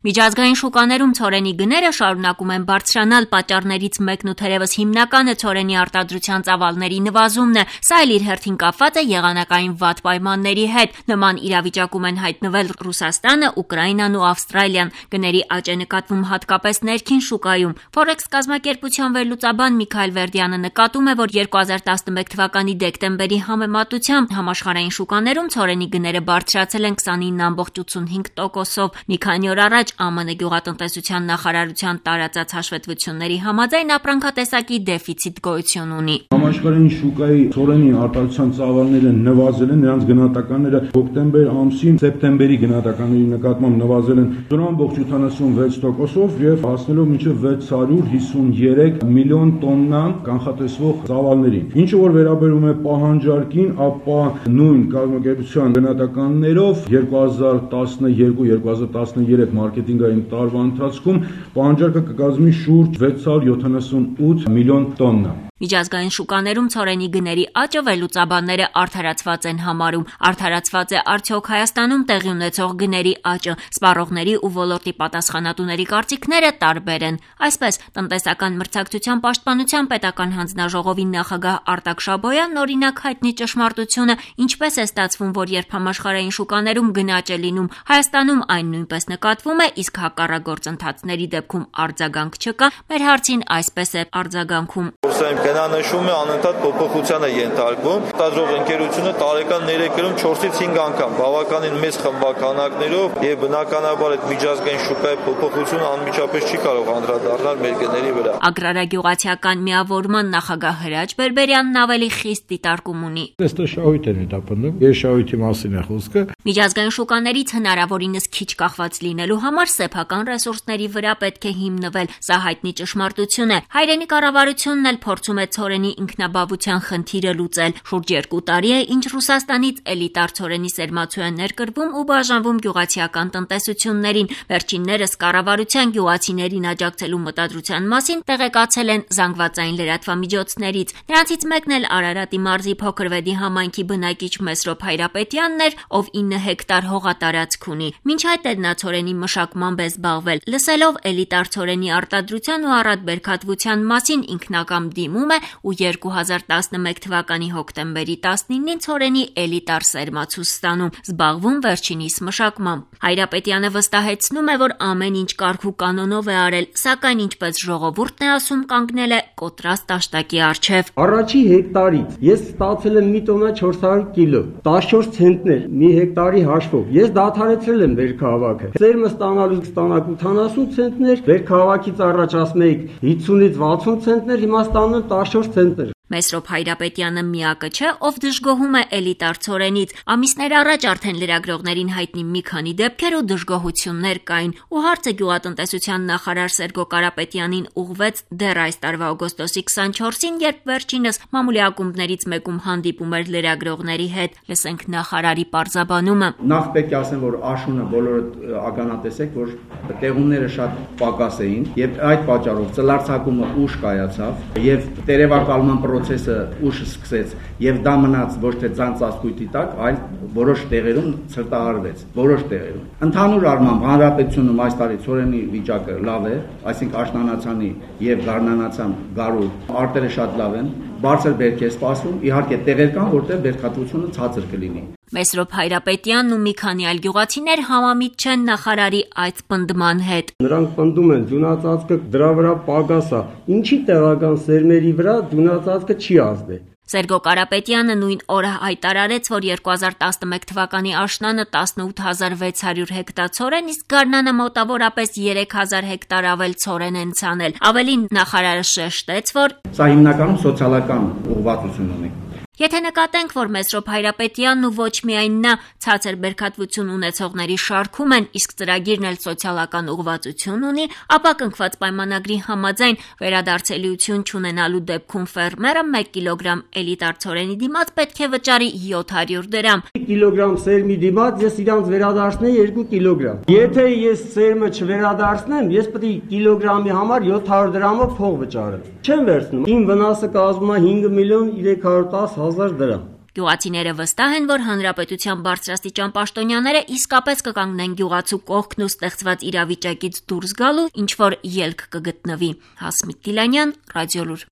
Միջազգային շուկաներում ցորենի գները շարունակում են բարձրանալ, պատճառներից մեկն ու թերևս հիմնականը ցորենի արտադրության ծավալների նվազումն է, սա էլ իր հերթին կապված է եղանակային վատ պայմանների հետ, նման իրավիճակում են հայտնվել Ռուսաստանը, Ուկրաինան ու Ավստրալիան, գների աճ է նկատվում հատկապես ներքին շուկայում, Forex կազմակերպության վերլուծաբան Միքայել Վերդյանը նկատում է, որ 2011 թվականի դեկտեմբերի համեմատությամբ համաշխարհային շուկաներում ցորենի գները բարձրացել են 29.85%-ով, մի քանի օր առաջ ԱՄՆ գյուղատնտեսության նախարարության տարածած հաշվետվությունների համաձայն ապրանքատեսակի դեֆիցիտ գոյություն ունի։ Համաշխարհային շուկայի ցորենի արտադրության ծավալները նվազել են, նրանց գնահատականները հոկտեմբեր ամսին սեպտեմբերի գնահատականների նկատմամբ նվազել են 0.76%-ով եւ հասնելով մինչեւ 653 միլիոն տոննա կանխատեսվող ծավալներին։ Ինչը որ վերաբերում է պահանջարկին, ապա նույն կազմակերպության գնահատականներով 2012-2013 մարքեթինգային տարվա ընթացքում պահանջարկը կկազմի շուրջ 678 միլիոն տոննա։ Միջազգային շուկաներում ցորենի գների աճը վերլուծաբանները արդարացված են համարում։ Արդարացված է արդյոք Հայաստանում տեղի ունեցող գների աճը։ Սպառողների ու ոլորտի պատասխանատուների կարծիքները տարբեր են։ Այսպես, տնտեսական մրցակցության պաշտպանության պետական հանձնաժողովի նախագահ Արտակ Շաբոյանն օրինակ հայտնի ճշմարտությունը, ինչպես է ստացվում, որ երբ համաշխարհային շուկաներում գնաճ է լինում, Հայաստանում այն նույնպես նկատվում է, իսկ հակառակ գործընթացների դեպքում արձագանք չկա, մեր հարցին այսպես է արձագանքում։ Գնանշումը անընդհատ փոփոխության է ենթարկվում։ Արտադրող ընկերությունը տարեկան 3-ում 4-ից 5 անգամ բավականին մեծ խմբականակներով եւ բնականաբար այդ միջազգային շուկայի փոփոխությունը անմիջապես չի կարող անդրադառնալ մեր գների վրա։ Ագրարագյուղացիական միավորման նախագահ Հրաչ Բերբերյանն ավելի խիստ դիտարկում ունի։ Այստեղ շահույթ են հետապնդում, ես շահույթի մասին է խոսքը։ Միջազգային շուկաներից հնարավորինս քիչ կախված լինելու համար սեփական ռեսուրսների վրա պետք է հիմնվել, սա հայտնի ճշմարտություն է։ Հայրենի կառավարությունն էլ փորձում է ցորենի ինքնաբավության խնդիրը լուծել։ Շուրջ 2 տարի է, ինչ Ռուսաստանից էլիտար ցորենի սերմացու են ներկրվում ու բաժանվում գյուղացիական տնտեսություններին։ Վերջիններս կառավարության գյուղացիներին աջակցելու մտադրության մասին տեղեկացել են զանգվածային լրատվամիջոցներից։ Նրանցից մեկն էլ Արարատի մարզի Փոքրվեդի համայնքի բնակիչ Մեսրոպ Հայրապետյանն էր, ով 9 հեկտար հողատարածք ունի։ Մինչ այդ էլ նա ցորենի մշակմամբ է զբաղվել։ Լսելով էլիտար ցորենի արտադրության ու առատբերքատվության մասին ինքնակամ դիմում է ու 2011 թվականի հոկտեմբերի 19-ին ցորենի էլիտար սերմացու ստանում, զբաղվում վերջինիս մշակմամբ։ Հայրապետյանը վստահեցնում է, որ ամեն ինչ կարգ ու կանոնով է արել, սակայն ինչպես ժողովուրդն է ասում, կանգնել է կոտրած տաշտակի առջև։ Առաջի հեկտարից ես ստացել եմ մի տոննա 400 կիլո, 14 ցենտներ մի հեկտարի հաշվով։ Ես դադարեցրել եմ վերքահավաքը։ Սերմը ստանալու ստանակ 80 ցենտներ, վերքահավաքից առաջ ասում էի 50-ից 60 ցենտներ, հիմա ստանում եմ 14 ցենտներ։ Մեսրոպ Հայրապետյանը միակը չէ, ով դժգոհում է էլիտար ցորենից։ Ամիսներ առաջ արդեն լրագրողներին հայտնի մի քանի դեպքեր ու դժգոհություններ կային, ու հարցը գյուղատնտեսության նախարար Սերգո Կարապետյանին ուղղվեց դեռ այս տարվա օգոստոսի 24-ին, երբ վերջինս մամուլի ակումբներից մեկում հանդիպում էր լրագրողների հետ։ Լսենք նախարարի պարզաբանումը։ Նախ պետք է ասեմ, որ աշունը բոլորը ականատեսեք, որ տեղումները շատ պակաս էին, եւ այդ պատճառով ծլարձակումը ուշ կայացավ եւ տերևակալման procese ուշ սկսեց եւ դա մնաց ոչ թե ձանձասկույտի տակ, այլ որոշ տեղերում ցրտահարվեց, որոշ տեղերում։ Ընդհանուր առմամբ հանրապետությունում այս տարի ցորենի վիճակը լավ է, այսինքն աշնանացանի եւ գարնանացան գարու արտերը շատ լավ են, բարձր բերք է սպասվում, իհարկե տեղեր կան, որտեղ բերքատվությունը ցածր կլինի։ Մեսրոպ Հայրապետյանն ու մի քանի այլ գյուղացիներ համամիտ չեն նախարարի այդ պնդման հետ։ Նրանք պնդում են ձյունածածկը դրա վրա պակաս է, ինչի տեղական սերմերի վրա ձյունածածկը չի ազդել։ Սերգո Կարապետյանը նույն օրը հայտարարեց, որ 2011 թվականի աշնանը 18600 հեկտար ցորեն, իսկ գարնանը մոտավորապես 3000 հեկտար ավել ցորեն են ցանել։ Ավելին նախարարը շեշտեց, որ սա հիմնականում սոցիալական ուղղվածություն ունի։ Եթե նկատենք, որ Մեսրոպ Հայրապետյանն ու ոչ միայն նա ցածր բերքատվություն ունեցողների շարքում են, իսկ ծրագիրն էլ սոցիալական ուղղվածություն ունի, ապա կնքված պայմանագրի համաձայն վերադարձելիություն չունենալու դեպքում ֆերմերը 1 կիլոգրամ էլիտար ցորենի դիմաց պետք է վճարի 700 դրամ։ Կիլոգրամ սերմի դիմաց ես իրանց վերադարձնեի 2 կիլոգրամ։ Եթե ես սերմը չվերադարձնեմ, ես պետք է կիլոգրամի համար 700 դրամով փող վճարեմ։ Չեմ վերցնում։ Իմ վնասը կազմում է 5 միլիոն 310 հազար դրամ։ Գյուղացիները վստահ են, որ հանրապետության բարձրաստիճան պաշտոնյաները իսկապես կկանգնեն գյուղացու կողքն ու ստեղծված իրավիճակից դուրս գալու, ինչ որ ելք կգտնվի։ Հասմիկ Գիլանյան, Ռադիոլուր։